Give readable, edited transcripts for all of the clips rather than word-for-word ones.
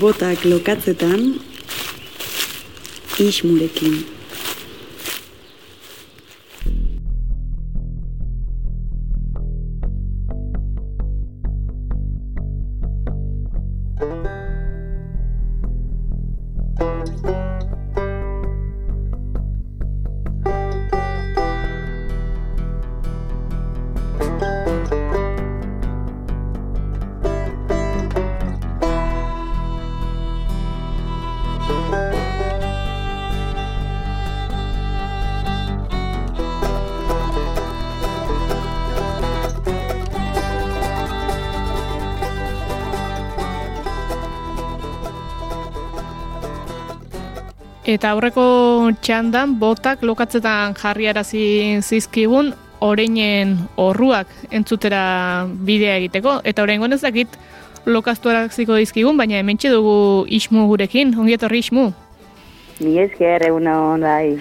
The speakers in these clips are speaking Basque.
Botak lokatzetan, Ismurekin. Eta aurreko txandan botak lokatzetan jarriarazi zizkigun oreinen orruak entzutera bidea egiteko. Eta oraingoan ez dakit lokaztuaraziko dizkigun, baina hementxe dugu Ismu gurekin. Ongi etorri Ismu. Mi esker egunon bai.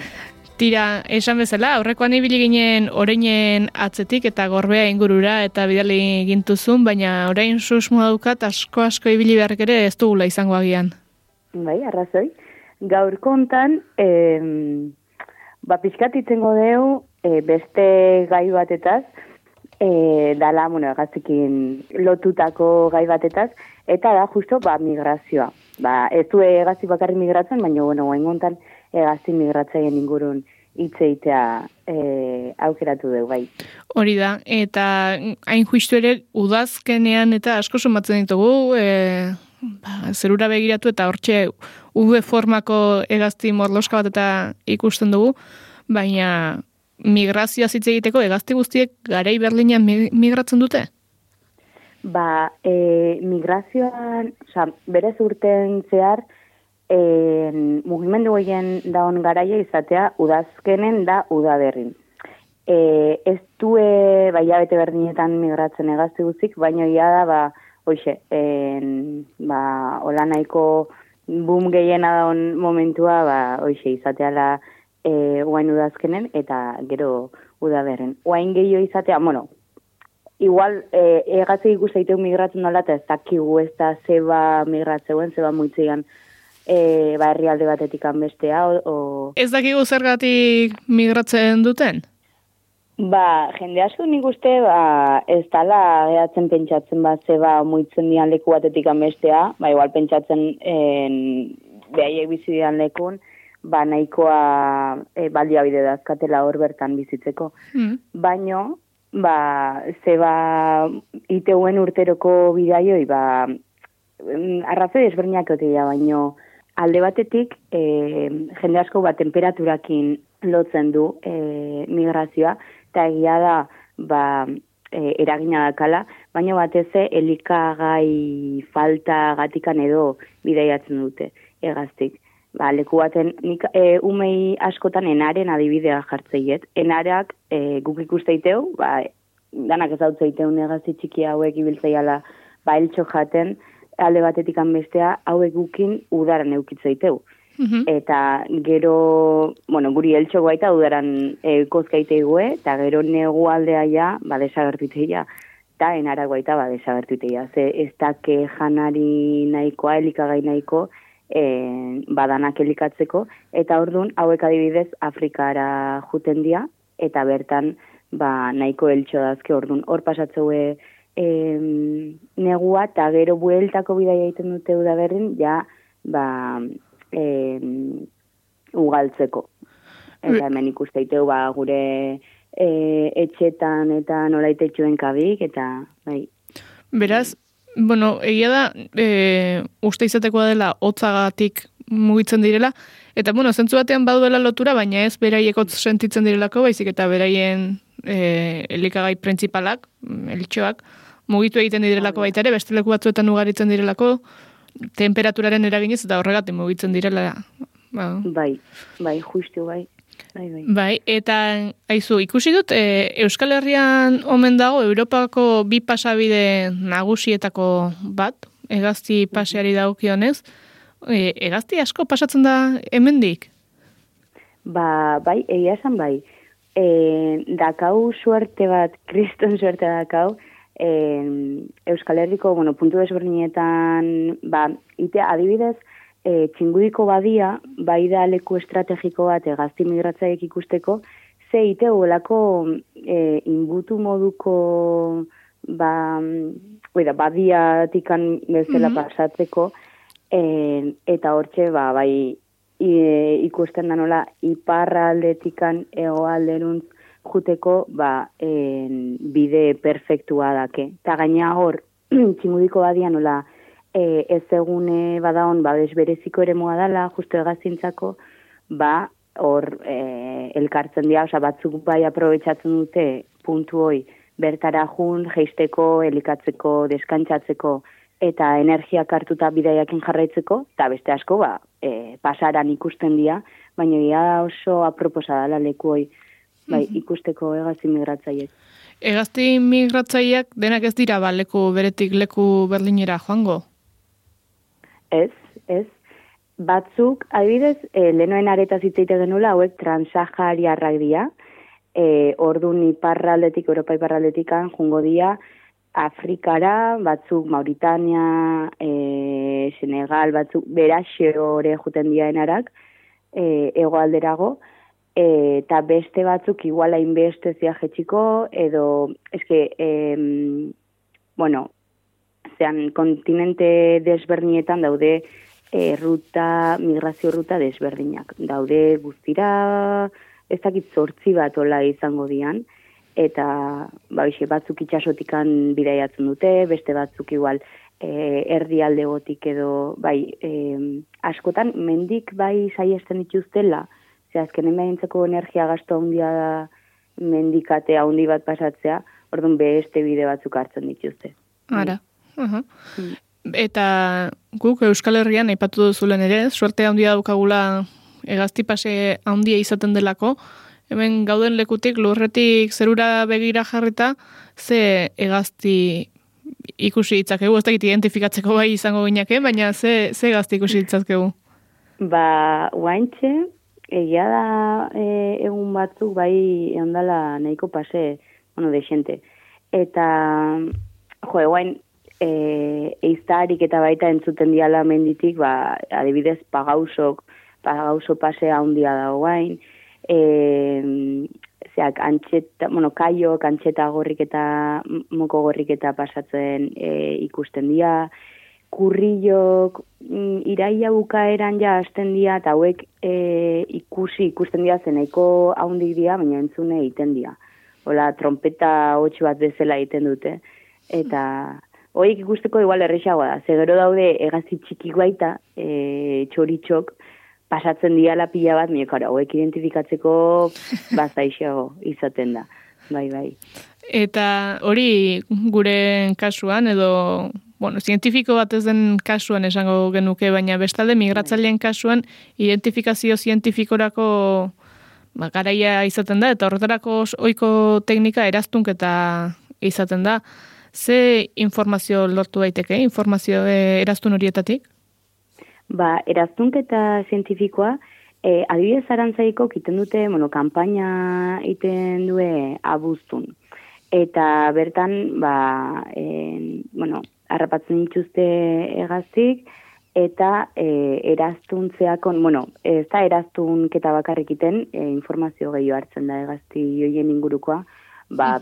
Tira, esan bezala, aurrekoan ibili ginen oreinen atzetik eta gorbea ingurura eta bidali gintuzun, baina orain susmoa dukat asko ibili beharrek ere ez dugula izango agian. Bai, arrazoi. Gaur kontan, pixkatitzen godeu beste gai batetaz, dala, egazikin lotutako gai batetaz, eta da justo, migrazioa. Ez du egazi bakarri migratzen, baina, guain kontan egazi migratzaien ingurun hitzeitea aukeratu dugu, bai. Hori da, eta hain justu ere udazkenean eta asko somatzen ditugu, zerura begiratu eta hortxe V formako hegazti morloska bat eta ikusten dugu, baina migrazioa hitz egiteko hegazti guztiek garai berlinean migratzen dute? Migrazioan, berez urten zehar, mugimendu gehien daun garaia izatea udazkenen da udaberrin. Ez du hilabete berdinetan migratzen hegazti guztik, baina ia da, hoxe, hola nahiko boom gehiena daun momentua, hoxe, izateala guain udazkenen eta gero udaberren. Guain gehiago izatea, igual egatzea ikusteiteu migratzen nola, eta ez dakigu ez da zeba migratzeuen, zeba muitzean herrialde batetik bestea. Ez dakigu zergatik migratzen duten? Jende asko nik uste, ez dala gehatzen pentsatzen zeba muitzen dian leku batetik bestea, igual pentsatzen behaiek bizi dian lekun, nahikoa baliabide dazkatela hor bertan bizitzeko. Baino, zeba iteuen urteroko bidaioi, arrazoi desberdinak otea, baino alde batetik jende asko temperaturakin lotzen du migrazioa, eta egia da eragina dakala, baina batez elikagai falta gatikan edo bidaiatzen dute egaztik. Leku baten, nik umei askotan enaren adibidea jartzeiet. Enarak guk ikusteiteu, danak ezautzeiteu negazti txiki hauek ibiltzeiala eltxo jaten, alde batetik bestea hauek gukin udaran eukitzeiteu. Eta gero, guri eltxo guaita udaran kozkaiteigue, eta gero negu aldea ja, desagertuiteia, eta enara guaita desagertuiteia. Ze ez dake janari nahikoa, elikagai nahiko, badanak elikatzeko, eta orduan hauek adibidez Afrikara juten dia, eta bertan nahiko eltxo dazke orduan. Hor pasatzeue negua, eta gero bueltako bidaia egiten dute udaberrin, ja, ugaltzeko. Eta hemen ikusteiteu gure etxetan eta nolaitetxuen kabik, eta bai. Beraz, egia da, uste izatekoa dela hotzagatik mugitzen direla, eta zentzu batean baduela lotura, baina ez beraiek hotz sentitzen direlako, baizik eta beraien elikagai printzipalak, eltxoak, mugitu egiten direlako baita ere, beste leku batzuetan ugaritzen direlako, temperaturaren eraginez eta horregatik mugitzen direla. Bai, justu, bai. Bai, eta aizu, ikusi dut, Euskal Herrian omen dago Europako bi pasabide nagusietako bat, hegazti paseari dagokionez. Hegazti asko pasatzen da hemendik? Bai, egia esan bai. Dakau suerte bat, kriston suerte dakau, Euskal Herriko, puntu desberdinetan, adibidez, Txingudiko badia, bai da leku estrategiko bat gazti migratzaiek ikusteko, ze ite golako inbutu moduko badiatikan bezala pasatzeko, eta hortxe, bai, ikusten da nola iparraldetikan egoalderuntz juteko bide perfektua dake. Ta gaina hor, Txingudiko badia nola ez egune badaon desbereziko ere moa dela, justo hegaztintzako, hor elkartzen dira, batzuk bai aprobetsatzen dute puntu hoi bertara jun, jeisteko, elikatzeko, deskantzatzeko, eta energiak hartuta bidaiakin jarraitzeko, eta beste asko, pasaran ikusten dira, baina ia oso aproposa dela leku hoi, ikusteko hegazti migratzaiek. Hegazti migratzaileak denak ez dira leku beretik leku Berlinera joango? Ez. Batzuk, adibidez, lehenoen aretaz hitzeite genula, hauek transahariarrak dira, ordun iparraldetik, Europa iparraldetikan, jungo dira, Afrikara, batzuk Mauritania, Senegal, batzuk beraxe hori juten diaenarak, hegoalderago, eta beste batzuk igual hainbeste ziajetxiko, edo, zean kontinente desberdinetan daude migrazio ruta desberdinak. Daude guztira, ez dakit 8 bat ola izango dian, eta batzuk itxasotikan bidaiatzen dute, beste batzuk igual erdialdegotik edo, askotan mendik saiesten dituztela, azkenen behintzeko energia gasto handia da mendikate handi bat pasatzea, orduan beste bide batzuk hartzen dituzte. Ara. Eta guk Euskal Herrian aipatu duzulen ere, suerte handia daukagula hegazti pase handia izaten delako, hemen gauden lekutik lurretik zerura begira jarrita, ze hegazti ikusi ditzakegu, ez dakit identifikatzeko bai izango gineke, baina ze hegazti ikusi ditzakegu? Guaintxe, egia da egun batzuk bai ondala nahiko pase, desente. Eta, guain, eiztarik eta baita entzuten diala menditik, adibidez, pagauso pase handia da guain, kaiok, antxeta gorrik eta moko gorrik eta pasatzen ikusten dira, kurrilok iraia bukaeran ja hasten dira, eta hauek ikusten dira zeneiko haundik dira, baina entzune egiten dira. Hola, trompeta 8 bat bezala egiten dute. Eta horiek ikusteko igual errexagoa da. Zegero daude hegazti txikik baita, txoritxok, pasatzen diala pila bat, hauek identifikatzeko bazaixago izaten da. Bai. Eta hori gure kasuan, edo, zientifiko bat ez den kasuan esango genuke, baina bestalde migratzaileen kasuan identifikazio zientifikorako garaia izaten da, eta horretarako ohiko teknika eraztunketa izaten da. Ze informazio lortu daiteke, informazio eraztun horietatik? Eraztunketa zientifikoa, adibidez Arantzaiko iten dute, kanpaina iten due abuztun. Eta bertan, harrapatzen dituzte hegaztik, eta eraztuntzeakon, ez da eraztunketa bakarrik iten, informazio gehiago hartzen da hegazti joien ingurukoa,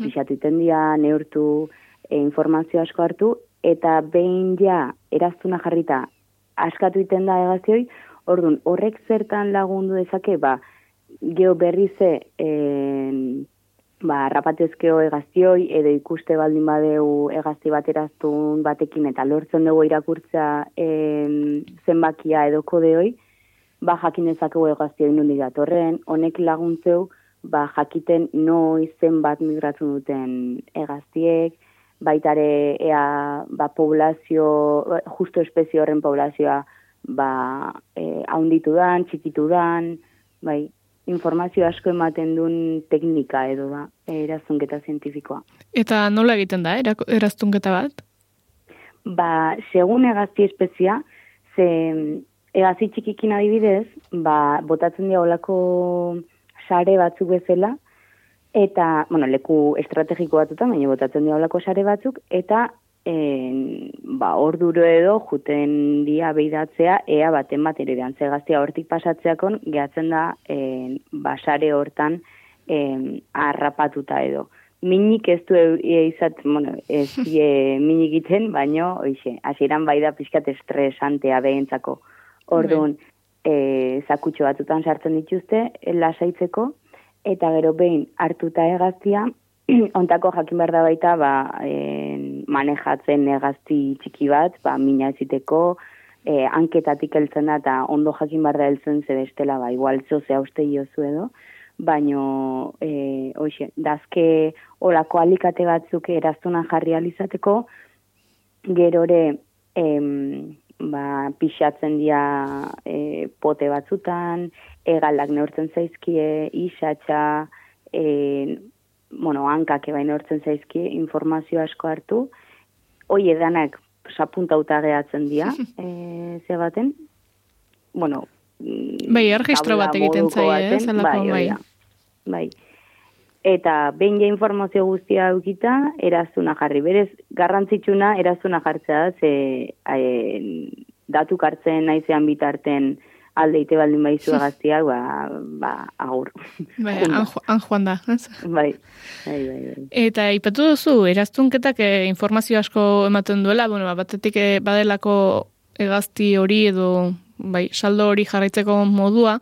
pixatu iten dira, neurtu, informazio asko hartu, eta behin ja eraztuna jarrita askatu iten da hegaztioi, orduan horrek zertan lagundu dezake, geho berrize rapatezkeo hegaztioi, edo ikuste baldin badeu hegazti bat eraztun batekin, eta lortzen dugu irakurtza zenbakia edo kodeoi, jakin dezakegu hegaztioi nondik datorren, honek laguntzeu, jakiten noiz zenbat migratzen duten hegaztiek, baitare poblazio, justo espezio horren poblazioa haunditu dan, txikitu dan, informazio asko ematen duen teknika edo eraztunketa zientifikoa. Eta nola egiten da eraztunketa bat? Segun hegazti espezia, hegazti txikikin adibidez, botatzen dira olako sare batzuk bezala, Eta, bueno, leku estrategiko batutan, baina botatzen diabolako sare batzuk, eta orduro edo juten dia behidatzea, ea baten bat eredan. Ze gaztea hortik pasatzeakon, gehatzen da sare hortan harrapatuta edo. Minik ez du ez minik egiten, baino, hasieran bai da pixkat estresantea behentzako. Orduan, zakutxo batutan sartzen dituzte, lasaitzeko, eta gero behin hartuta hegaztia, ontako jakin behar da baita, manejatzen hegazti txiki bat, mina eziteko, hanketatik heltzen da, eta ondo jakin behar da heltzen zebestela, igual zozea uste jozu edo, baino, dazke olako alikate batzuk eraztuna jarri alizateko, gerore, pixatzen dira pote batzutan, egalak neurtzen zaizkie, isatxa, hankak ebain neurtzen zaizkie, informazio asko hartu, hoi edanak sapuntauta gehatzen dira, ze baten, erregistro bat egiten zaie, bai. Eta behin ja informazio guztia eukita, eraztuna jarri. Berez, garrantzitsuna eraztuna jartzea, ze datuk hartzen naizean bitarten aldeite baldin baizu egaztiak, agur. Han joan da. Bai. Eta ipatu duzu, eraztunketak informazio asko ematen duela, batetik badelako egazti hori edo saldo hori jarraitzeko modua,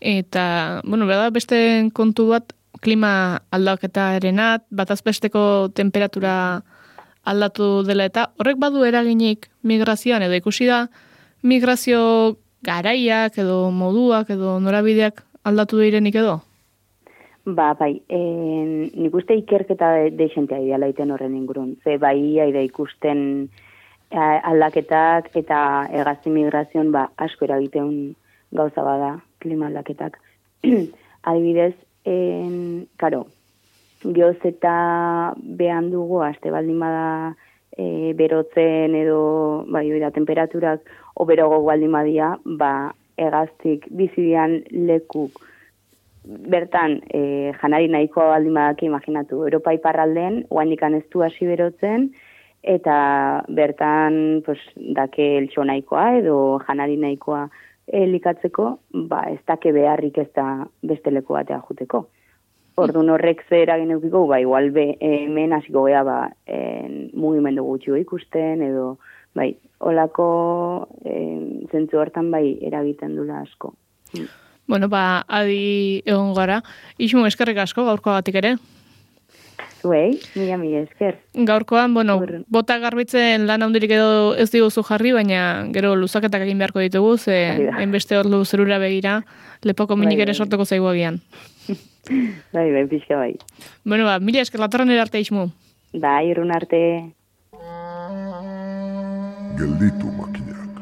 eta, beste kontu bat, klima aldaketarenat, batazbesteko temperatura aldatu dela, eta horrek badu eraginik migrazioan, edo ikusi da migrazio garaiak edo moduak edo norabideak aldatu direnik edo? Bai, nik uste ikerketa deixentea ideala iten horren ingurun. Ze aida ikusten aldaketak eta hegazti migrazioan asko eragiteun gauza bada klima aldaketak. Adibidez, geoz eta behan dugu, aste baldin bada berotzen edo temperaturak oberogo baldin badia, hegaztik bizidian lekuk bertan janari nahikoa baldin badak imaginatu. Europa iparralden, oandikan ez du hasi berotzen, eta bertan dake eltxo nahikoa edo janari nahikoa elikatzeko, ez dake beharrik ez da beste leku batea juteko. Orduan horrek zer eragin eukiko, igual hemen hasiko gea mugimendu gutxi ikusten, edo holako zentzu hortan eragiten dula asko. Adi egon gara. Ixmu, eskerrik asko gaurkoagatik ere. Zuei, mila esker. Gaurkoan, bota garbitzen lan handirik edo ez diguzu jarri, baina gero luzaketak egin beharko ditugu, enbeste hor zerura begira, lepoko minik ere sortuko zaigu agian. Bai, pixka bai. Mila esker, latorren erarte, Ixmu. Bai, irrun arte. Gelditu, makina.